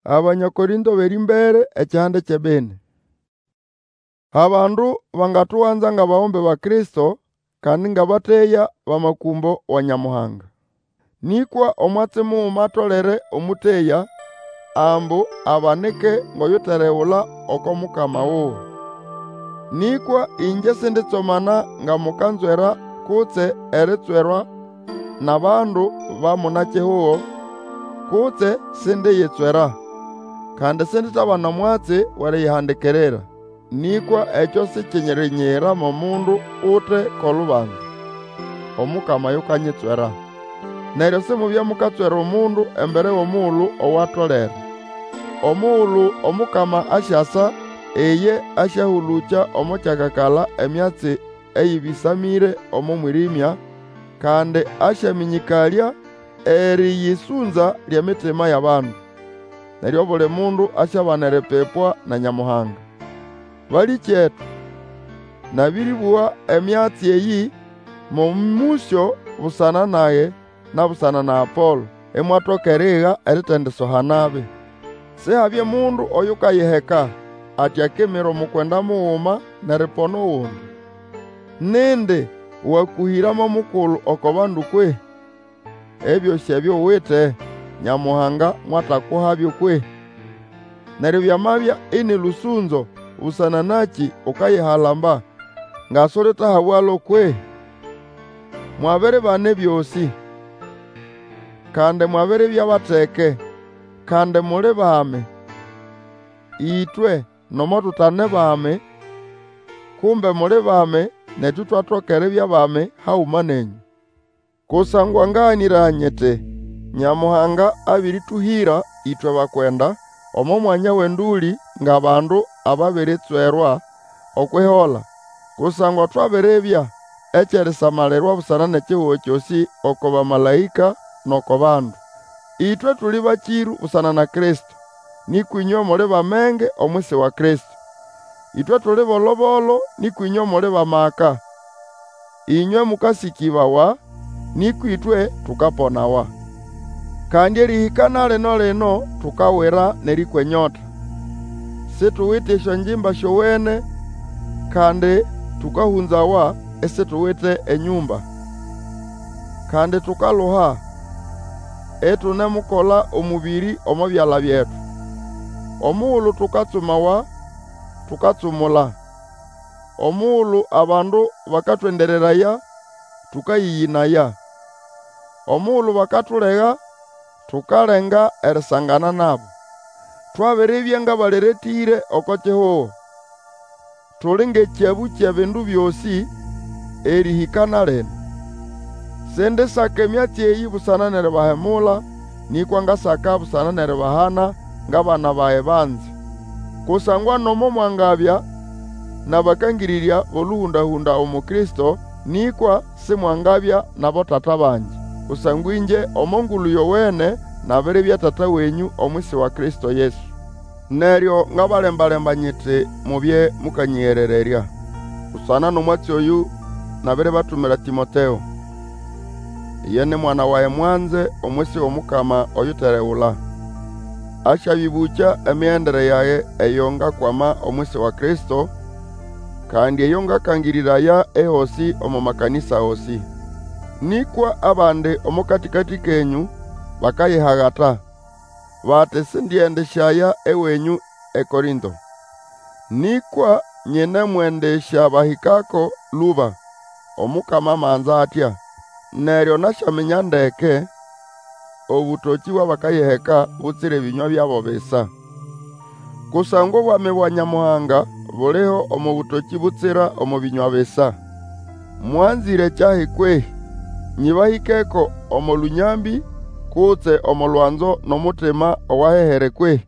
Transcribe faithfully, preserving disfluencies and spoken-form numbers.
Abanya Korĩnto b'erĩmbere ekihande ky'ebini. Abandu bangatuganza ng'abagombe ba Kristo, kandi ng'abateya b'amakũmbo wa Nyamuhanga. Nĩkwa omwatsi muguma atolere omũteya, ambu abanike ng'oyuteregula oko mukama wuwe. Nĩkwa ĩngye sinditsomana nga mukanzwera kutse eritswerwa n'abandu ba muna-kihugo, kutse sindiyitswera. Kandi sinditabana omwatsi w'eriyihandikirira. Nĩkwa ekyo sikyirinyiyira mo mundu ute k'olubanza. Omukama yukanyitswera. Neryo simubye mukatswera omundu embere w'omugulu owatolere. Omugulu Omukama asyasa, iye asyahũlũkya omo kyakakala emyatsi eyĩbĩsamĩre omo mwĩrĩmya, kandi asyamĩnyĩkalya erĩyĩsũnza ly'emitima y'abandu. Neryo obuli mundu asyabana eripipwa na Nyamuhanga. Balĩkyetu, nabĩrĩbũga emyatsi eyĩ mo mũsyo busana nage na busana na Apolo, imwatoka eriiga eritendisoha nabi. Sihabye mundu oyukayiheka ati akimira omukwenda muguma n'eripona ogundi. Nindi wakũhĩra mo mukulu oko bandu kwehĩ? Ebyosĩ ebyo uwite, Nyamuhanga mwatakuhabyo kwehĩ? Neryo byamabya ini lũsũnzo, busana nakĩ ukayihalamba nga sulitahabwalo kwehĩ? Mwabiribana ebyosĩ, kandi mwabiribya bateke, kandi muli bami. Ĩtwe nomo tutane bami, kumbe muli bami, netu itwatoka eribya bami haguma nenyũ. Kusangwa ngaganĩraya nyiti, Nyamuhanga abĩrĩtũhĩra ĩtwe bakwenda, omo mwanya w'endũlĩ ng'abandu ababiritswerwa okw'ihola. Kusangwa twabiribya eky'erisamalirwa busana n'ekihugo kyosĩ oko bamalaĩka n'oko bandu. Ĩtwe tuli bakĩrũ busana na Kristo, nĩkwa ĩnywe muli b'amenge omwisi wa Kristo. Ĩtwe tuli bolo-bolo, nĩkwa ĩnywe muli b'amaka. Ĩnywe mũkasĩkĩbawa, nĩkwa ĩtwe tukaponawa. Kandi erĩhĩka na lino-lino tukawira n'erĩkwa enyota. Situwite esyongimba syowene, kandi tũkahũnzawa, isituwite enyũmba. Kandi tukaluha, itunemukola omũbĩrĩ omo byala byetu. Omugulu tukatsumawa, tukatsumula. Omugulu abandu bakatwendereraya, tũkayĩyĩnaya. Omugulu bakatulega, tukalenga erisangana nabo. Twabiribya ng'abaleretĩre oko kihugo. Tuli ng'ekyabũ ky'ebindu byosĩ, erĩhĩka na lino. Sindisaka emyatsi eyĩ busana n'eribahemula, nĩkwa ngasaka busana n'eribahana ng'abana bage banze. Kusangwa nomo mwangabya n'abakangĩrĩrya b'olũhũnda-hũnda umu Kristo, nĩkwa simwangabya n'abotata bangi. Kusangwa ĩngye omo Ngulu Yowene nabiribya tata wenyũ omwisi wa Kristo Yesu. Neryo ngabalemba-lemba nyiti mubye mũkanyĩgerererya. Busana n'omwatsi oyũ nabiribatumira Tĩmoteo. Iye ni mwana wage mwanze omwisi w'Omukama oyuteregula. Asyabĩbũkya emigendere yage eyo ngakwama omwisi wa Kristo, kandi eyo ngakangĩrĩraya ehosĩ omo makanĩsa gosĩ. Nĩkwa abandi omo katĩkatĩ kenyũ bakayihagata, bati sindiendĩsyaya ewenyũ eKorĩnto. Nĩkwa nyinemwendĩsyabahĩkako lũba, Omukama amanza atya. Neryo nasyaminya ndeke obũtokĩ bw'abakayiheka butsira ebĩnywa byabo bisa. Kusangwa obwami bwa Nyamuhanga buliho omo bũtokĩ butsira omo bĩnywa bisa. Mwanzĩre kyahi kwehĩ? Nyĩbahĩkeko omo lũnyambĩ kutse omo lwanzo n'omutima owahehere kwehĩ?